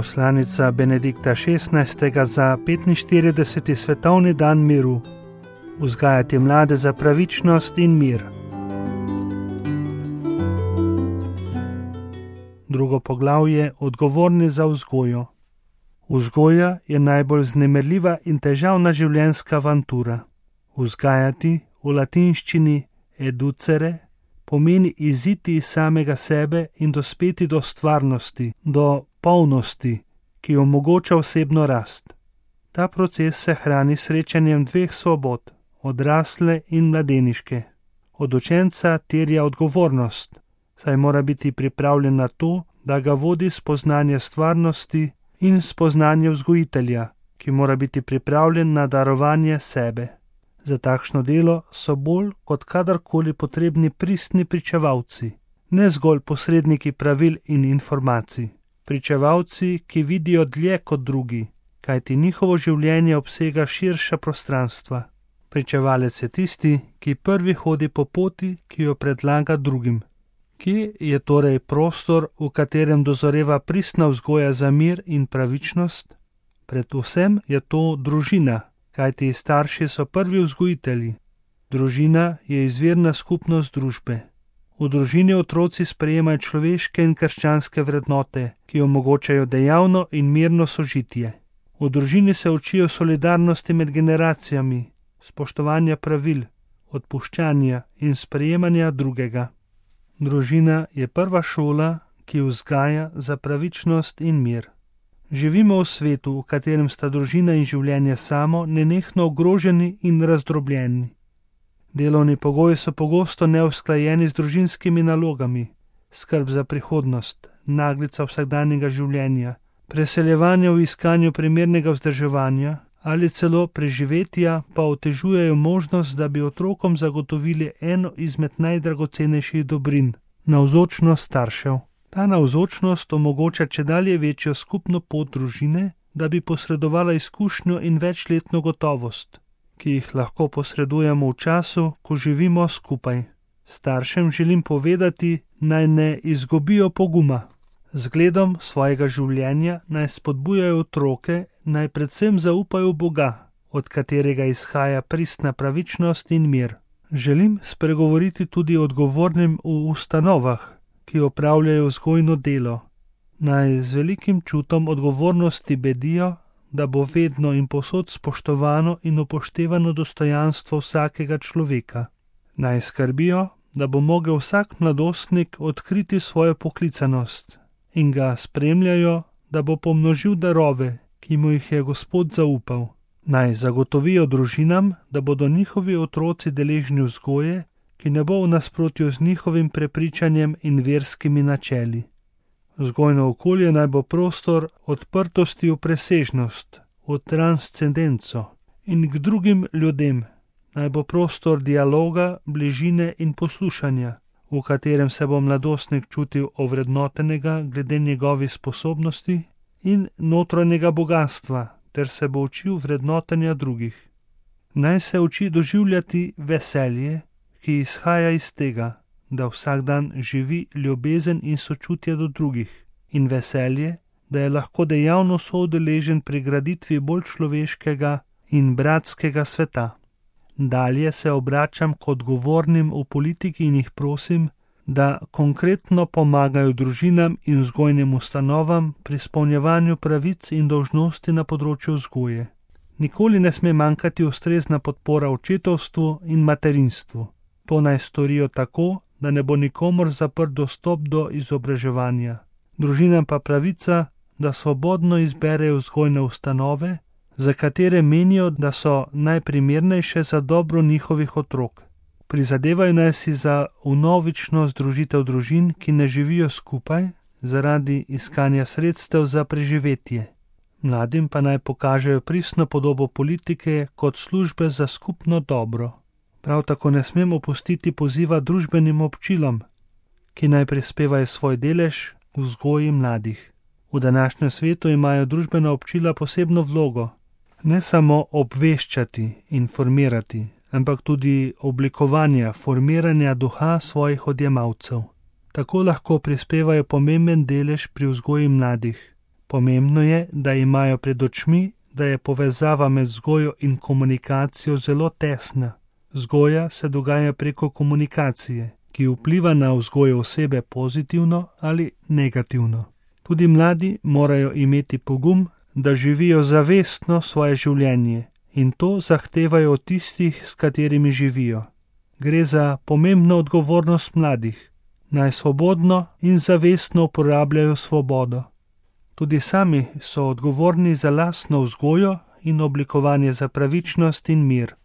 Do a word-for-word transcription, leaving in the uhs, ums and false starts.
Poslanica Benedikta šestnajstega za petinštirideseti svetovni dan miru. Vzgajati mlade za pravičnost in mir. Drugo poglavje: odgovorni za vzgojo. Vzgoja je najbolj vznemirljiva in težavna življenjska avantura. Vzgajati v latinščini educere pomeni iziti iz samega sebe in dospeti do stvarnosti, do polnosti, ki omogoča osebno rast. Ta proces se hrani srečanjem dveh svobod, odrasle in mladeniške. Od učenca terja odgovornost, saj mora biti pripravljen na to, da ga vodi spoznanje stvarnosti in spoznanje vzgojitelja, ki mora biti pripravljen na darovanje sebe. Za takšno delo so bolj kot kadarkoli potrebni pristni pričevalci, ne zgolj posredniki pravil in informacij. Pričevalci, ki vidijo dlje kot drugi, kajti njihovo življenje obsega širša prostranstva. Pričevalec je tisti, ki prvi hodi po poti, ki jo predlaga drugim. Kje je torej prostor, v katerem dozoreva pristna vzgoja za mir in pravičnost? Predvsem je to družina, kajti starši so prvi vzgojitelji. Družina je izvirna skupnost družbe. V družini otroci sprejemajo človeške in krščanske vrednote, ki omogočajo dejavno in mirno sožitje. V družini se učijo solidarnosti med generacijami, spoštovanja pravil, odpuščanja in sprejemanja drugega. Družina je prva šola, ki vzgaja za pravičnost in mir. Živimo v svetu, v katerem sta družina in življenje samo nenehno ogroženi in razdrobljeni. Delovni pogoji so pogosto neusklajeni z družinskimi nalogami, skrb za prihodnost, naglica vsakdanjega življenja, preseljevanje v iskanju primernega vzdrževanja ali celo preživetja pa otežujejo možnost, da bi otrokom zagotovili eno izmed najdragocenejših dobrin – navzočnost staršev. Ta navzočnost omogoča čedalje večjo skupno pot družine, da bi posredovala izkušnjo in večletno gotovost, ki jih lahko posredujemo v času, ko živimo skupaj. Staršem želim povedati, naj ne izgubijo poguma. Zgledom svojega življenja naj spodbujajo otroke, naj predvsem zaupajo v Boga, od katerega izhaja pristna pravičnost in mir. Želim spregovoriti tudi o odgovornim v ustanovah, ki opravljajo vzgojno delo. Naj z velikim čutom odgovornosti bedijo, da bo vedno in povsod spoštovano in upoštevano dostojanstvo vsakega človeka. Naj skrbijo, da bo mogel vsak mladostnik odkriti svojo poklicanost in ga spremljajo, da bo pomnožil darove, ki mu jih je Gospod zaupal. Naj zagotovijo družinam, da bodo njihovi otroci deležni vzgoje, ki ne bo v nasprotju z njihovim prepričanjem in verskimi načeli. Vzgojno okolje naj bo prostor odprtosti v presežnost, v transcendenco in k drugim ljudem. Naj bo prostor dialoga, bližine in poslušanja, v katerem se bo mladostnik čutil ovrednotenega glede njegovih sposobnosti in notranjega bogatstva, ter se bo učil vrednotenja drugih. Naj se uči doživljati veselje, ki izhaja iz tega, da vsak dan živi ljubezen in sočutje do drugih, in veselje, da je lahko dejavno soudeležen pri graditvi bolj človeškega in bratskega sveta. Dalje se obračam k odgovornim v politiki in jih prosim, da konkretno pomagajo družinam in vzgojnim ustanovam pri izpolnjevanju pravic in dolžnosti na področju vzgoje. Nikoli ne sme manjkati ustrezna podpora očetovstvu in materinstvu. To naj storijo tako, da ne bo nikomur zaprt dostop do izobraževanja. Družinam pa pravica, da svobodno izberejo vzgojne ustanove, za katere menijo, da so najprimernejše za dobro njihovih otrok. Prizadevajo naj si za vnovično združitev družin, ki ne živijo skupaj, zaradi iskanja sredstev za preživetje. Mladim pa naj pokažejo pristno podobo politike kot službe za skupno dobro. Prav tako ne smem opustiti poziva družbenim občilom, ki naj prispevajo svoj delež v vzgoji mladih. V današnjem svetu imajo družbena občila posebno vlogo, ne samo obveščati, informirati, ampak tudi oblikovanja, formiranja duha svojih odjemalcev. Tako lahko prispevajo pomemben delež pri vzgoji mladih. Pomembno je, da imajo pred očmi, da je povezava med vzgojo in komunikacijo zelo tesna. Vzgoja se dogaja preko komunikacije, ki vpliva na vzgojo osebe pozitivno ali negativno. Tudi mladi morajo imeti pogum, da živijo zavestno svoje življenje in to zahtevajo od tistih, s katerimi živijo. Gre za pomembno odgovornost mladih, naj svobodno in zavestno uporabljajo svobodo. Tudi sami so odgovorni za lastno vzgojo in oblikovanje za pravičnost in mir.